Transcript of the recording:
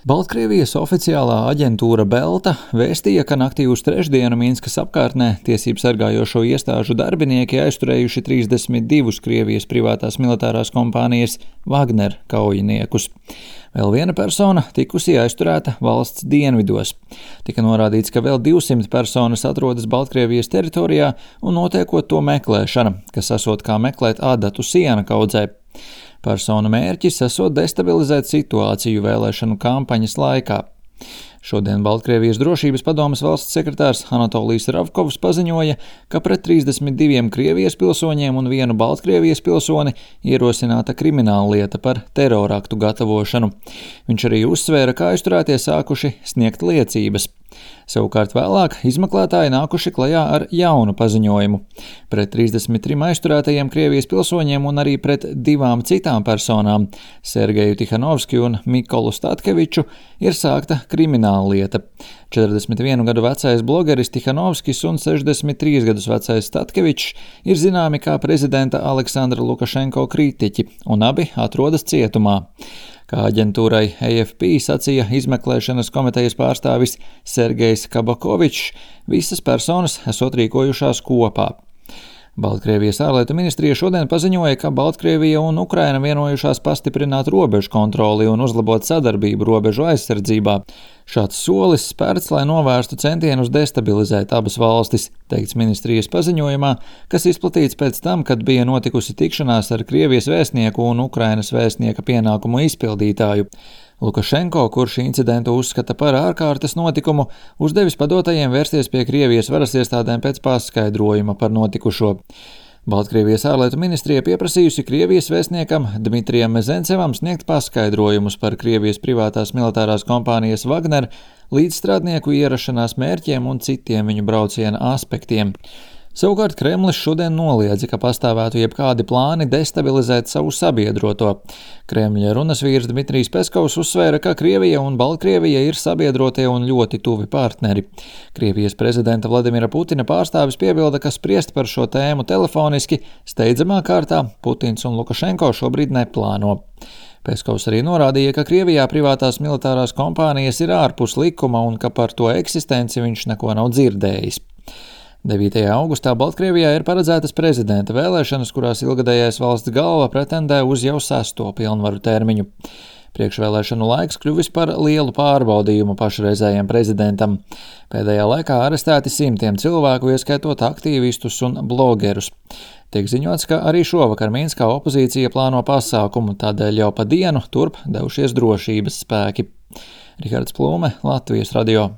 Baltkrievijas oficiālā aģentūra Belta vēstīja, ka naktī uz trešdienu Minskas apkārtnē tiesību sargājošo iestāžu darbinieki aizturējuši 32 Krievijas privātās militārās kompānijas Wagner kaujiniekus. Vēl viena persona tikusi aizturēta valsts dienvidos. Tika norādīts, ka vēl 200 personas atrodas Baltkrievijas teritorijā un notiekot to meklēšana, kas esot kā meklēt adatu siena kaudzē. Personu mērķis esot destabilizēt situāciju vēlēšanu kampaņas laikā. Šodien Baltkrievijas drošības padomes valsts sekretārs Anatolijs Ravkovs paziņoja, ka pret 32 Krievijas pilsoņiem un vienu Baltkrievijas pilsoni ierosināta krimināllieta par teroraktu gatavošanu. Viņš arī uzsvēra, ka aizturētie sākuši sniegt liecības. Savukārt vēlāk izmeklētāji nākuši klajā ar jaunu paziņojumu. Pret 33 aizturētajiem Krievijas pilsoņiem un arī pret 2 citām personām, Sergeju Tihanovskiju un Mikolu Statkeviču, ir sākta krimināllieta. 41 gadu vecais blogeris Tihanovskis un 63 gadus vecais Statkevičs ir zināmi kā prezidenta Aleksandra Lukašenko kritiķi, un abi atrodas cietumā. Kā aģentūrai AFP sacīja izmeklēšanas komitejas pārstāvis Sergejs Kabakovičs, visas personas esot rīkojušās kopā. Baltkrievijas ārlietu ministrija šodien paziņoja, ka Baltkrievija un Ukraina vienojušās pastiprināt robežu kontroli un uzlabot sadarbību robežu aizsardzībā. Šāds solis spērts, lai novērstu centienus destabilizēt abas valstis, teikts ministrijas paziņojumā, kas izplatīts pēc tam, kad bija notikusi tikšanās ar Krievijas vēstnieku un Ukrainas vēstnieka pienākumu izpildītāju. Lukašenko, kurš incidentu uzskata par ārkārtas notikumu, uzdevis padotajiem vērsties pie Krievijas varas iestādēm pēc paskaidrojuma par notikušo. Baltkrievijas ārlietu ministrija pieprasījusi Krievijas vēstniekam Dmitrijam Mezencevam sniegt paskaidrojumus par Krievijas privātās militārās kompānijas Wagner līdzstrādnieku ierašanās mērķiem un citiem viņu brauciena aspektiem. Savukārt Kremlis šodien noliedza, ka pastāvētu jebkādi plāni destabilizēt savu sabiedroto. Kremļa runas vīrs Dmitrijs Peskovs uzsvēra, ka Krievija un Baltkrievija ir sabiedrotie un ļoti tuvi partneri. Krievijas prezidenta Vladimira Putina pārstāvis piebilda, ka spriest par šo tēmu telefoniski steidzamā kārtā Putins un Lukašenko šobrīd neplāno. Peskovs arī norādīja, ka Krievijā privātās militārās kompānijas ir ārpus likuma un ka par to eksistenci viņš neko nav dzirdējis. 9. augustā Baltkrievijā ir paredzētas prezidenta vēlēšanas, kurās ilgadējais valsts galva pretendē uz jau 6. pilnvaru termiņu. Priekšvēlēšanu laiks kļuvis par lielu pārbaudījumu pašreizējiem prezidentam. Pēdējā laikā arestēti simtiem cilvēku, ieskaitot aktīvistus un blogerus. Tiek ziņots, ka arī šovakar Minskā opozīcija plāno pasākumu, tādēļ jau pa dienu turp devušies drošības spēki. Rihards Plūme, Latvijas radio.